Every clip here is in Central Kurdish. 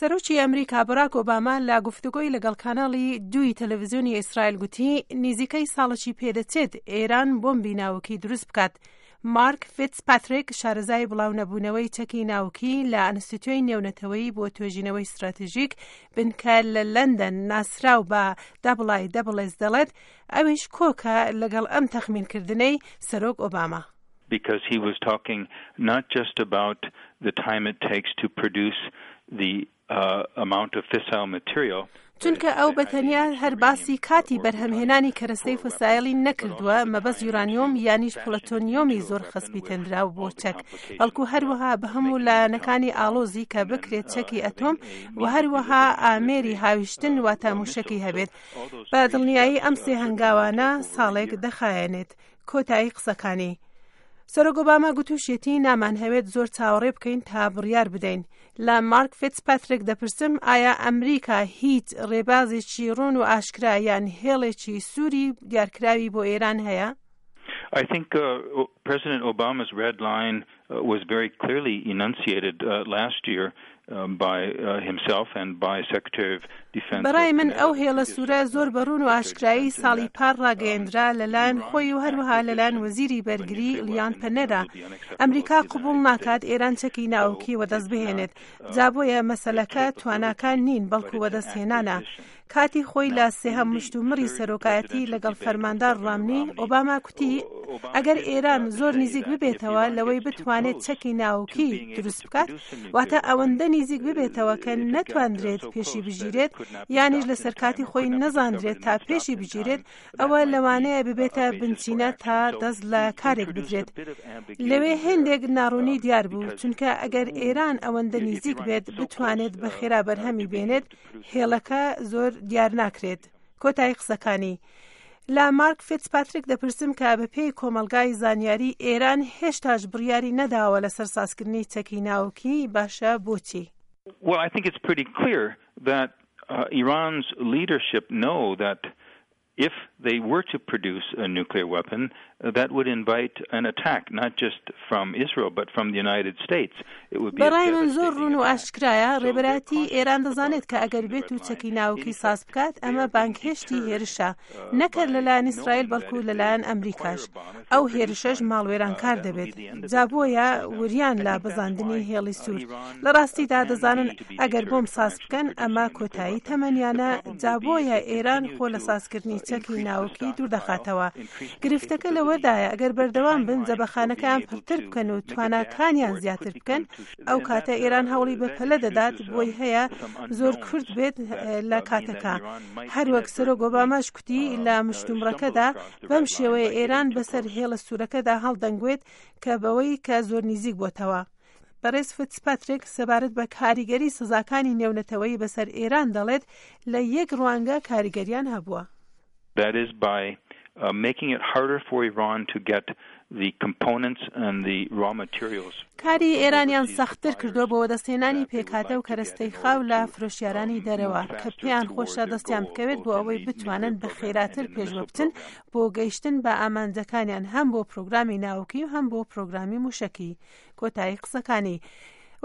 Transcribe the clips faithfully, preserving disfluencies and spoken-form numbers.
سەرۆکی ئەمریکا باراک ئۆباما لە گفتوگۆی لەگەڵ کاناڵی دووی تەلەڤیزیۆنی ئیسرائیل گوتی نزیکەی ساڵێکی پێدەچێت ئێران بۆمبی ناوکی دروست بکات. مارک فیتزپاتریک، شارەزای بڵاونەبوونەوەی چەکی ناوکی لە ئەنستیتیۆی نێونەتەوەیی بۆ توێژینەوەی ستراتیژیک بنکە لە لەندەن ناسراو بە I S S، دەڵێت ئەویش کۆکە لەگەڵ ئەم تەخمینکردنەی سەرۆک ئۆباما. Because he was talking not just about the time it takes to produce the uh, amount of fissile material. چونکە ئەو بە تەنیا هەر باسی کاتی بەرهەمهێنانی کەرەستەی فسایلی نەکردووە، مەبەست یورانیۆم یانیش پلۆتۆنیۆمی زۆر خەسپیتێنراو بۆ چەک، بەڵکو هەروەها بە هەموو لایەنەکانی ئاڵۆزی کە بکرێت چەکی ئەتۆم و هەروەها ئامێری هاویشتن واتە موشکی هەبێت. بە دڵنیایی ئەم سێ هەنگاوانە ساڵێک دەخایەنێت. کۆتایی قسەکانی. سەرۆک ئۆباما گوتوشێتی نامانهەوێت زۆر چاوەڕێ بکەین تا بڕیار بدەین. لە مارک فیتزپاتریک دەپرسم ئایا ئەمریکا هیچ ڕێبازێکی ڕوون و ئاشکرا یان هێڵێکی سووری دیارکراوی بۆ ئێران هەیە؟ I think uh, President Obama's red line uh, was very clearly enunciated uh, last year um, by uh, himself and by Secretary of Defense. بەڕای من ئەو هێڵە سوورە زۆر بەڕوون و ئاشکرایی ساڵی پار ڕاگەیەندرا لەلایەن خۆی و هەروەها لەلایەن وەزیری بەرگری لیان پەنێرا. ئەمریکا قبوڵ ناکات ئێران چەکی ناوکی وەدەست بهێنێت. جا بۆیە مەسەلەکە تواناکان نین، بەڵکو وەدەستهێنانە. کاتی خۆی لە سێهەم مشتومڕی سەرۆکایەتی لەگەڵ فەرماندار ڕامنی، ئۆباما کوتی ئەگەر ئێران زۆر نزیک ببێتەوە لەوەی بتوانێت چەکی ناوکی دروست بکات، واتە ئەوەندە نزیک ببێتەوە کە نەتواندرێت پێشی بگیرێت یانیش لەسەر کاتی خۆی نەزاندرێت تا پێشی بگیرێت، ئەوە لەوانەیە ببێتە بنچینە تا دەست لە کارێک بدرێت. لەوێ هێندێک ناڕوونی دیار بوو، چونکە ئەگەر ئێران ئەوەندە نزیک بێت بتوانێت بە خێرا بەرهەمی بێنێت، هێڵەکە زۆر دیار ناکرێت. کۆتایی قسەکانی. لە مارک فیتزپاتریک دەپرسم کە بە پێی کۆمەلگای زانیاری ئێران هێشتاش بڕیاری نەداوە لەسەر سازکردنی چەکی ناوکی، باشە بۆچی؟ Well, I think it's pretty clear that uh, Iran's leadership know that if they were to produce a nuclear weapon, uh, that would invite an attack, not just from Israel, but from the United States. It would be بەڕای من زۆر ڕوون و ئاشکرایە ڕێبەرایەتی ئێران دەزانێت کە ئەگەر بێت و چەکی ناوکی ساز بکات، ئەمە بانگهێشتی هێرشە، نەک هەر لەلایەن ئیسرائیل بەڵکو لەلایەن ئەمریکاش. ئەو هێرشەش ماڵوێرانکار دەبێت. جا بۆیە وریان لە بەزاندنی هێڵی سوور. لە ڕاستیدا دەزانن ئەگەر بۆم ساز بکەن ئەمە کۆتایی تەمەنیانە. جا بۆیە ئێران خۆ لە سازکردنی چەکی ناوکی دوور دەخاتەوە. گرفتەکە لەوەدایە ئەگەر بەردەوام بن، جەبەخانەکەیان پڕتر بکەن و تواناکانیان زیاتر بکەن، ئەو کاتە ئێران هەوڵی بەپەلە دەدات، بۆی هەیە زۆر کورت بێت لە کاتەکە. هەروەک سەرۆک ئۆباماش کوتی لە مشتومڕەکەدا، بەم شێوەیە ئێران بەسەر هێڵە سوورەکەدا هەڵدەنگوێت کە بەوەی کە زۆر نزیک بۆتەوە. بەڕێز فیتزپاتریک سەبارەت بە کاریگەری سزاکانی نێونەتەوەیی بەسەر ئێران دەڵێت لە یەک ڕوانگە کاریگەریان هەبووە. That is by uh, making it harder for Iran to get the components and the raw materials. کاری ئێرانیان سەختتر کردووە بۆ وەدەستهێنانی پێکهاتە و کەرەستەی خاو لە فرۆشیارانی دەرەوە کە پێیان خۆشە دەستیان بکەوێت، بۆ ئەوەی بتوانن بە خێراتر پێشوە بچن بۆ گەیشتن بە ئامانجەکانیان، هەم بۆ پرۆگرامی ناوکی و هەم بۆ پرۆگرامی موشکی. کۆتایی قسەکانی.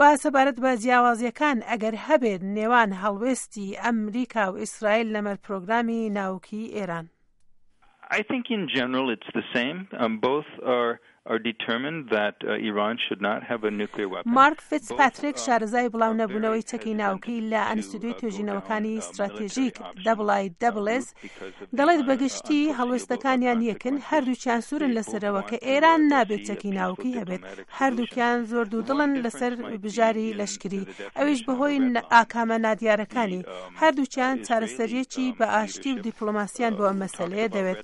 و سەبارەت بە جیاوازیەکان ئەگەر هەبێت نێوان هەڵوێستی ئەمریکا و ئیسرائیل لەمەر پرۆگرامی ناوکی ئێران؟ I think in general it's the same. Um, both are are determined that uh, Iran should not have a nuclear weapon. مارک فیتزپاتریک، شارەزای بڵاو نەبوونەوەی چەکی ناوکی لە ئەنستیتیوی توێژینەوەکانی ستراتێژیک I S S، دەڵێت بەگشتی هەڵوێستەکانیان یەکن. هەردووکیان سوورن لەسەرەوە کە ئێران نابێت چەکی ناوکی هەبێت. هەردووکیان زۆر دوودڵن لەسەر بژاری لەشکری، ئەویش بەهۆی ئاکامە نادیارەکانی. هەردووکیان چارەسەریەکی بە ئاشتی و دیپلۆماسیان بۆ ئەم مەسەلەیە دەوێت.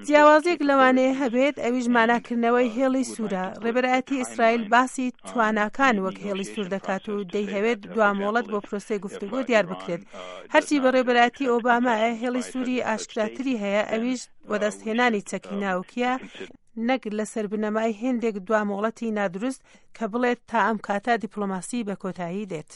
جیاوازێک لەوانەیە هەبێت، ئەویش ماناکردنەوەی هێڵی سوورە. ڕێبەرایەتی ئیسرائیل باسی تواناکان وەک هێڵی سوور دەکات و دەیهەوێت دوامۆڵەت بۆ پرۆسەی گفتوگۆ دیار بکرێت. هەرچی بەڕێبەرایەتی ئۆبامایە، هێڵی سووری ئاشکراتری هەیە، ئەویش وەدەستهێنانی چەکی ناوکیە، نەک لەسەر بنەمای هێندێک دوامۆڵەتی نادروست کە بڵێت تا ئەم کاتە دیپلۆماسی بە کۆتایی دێت.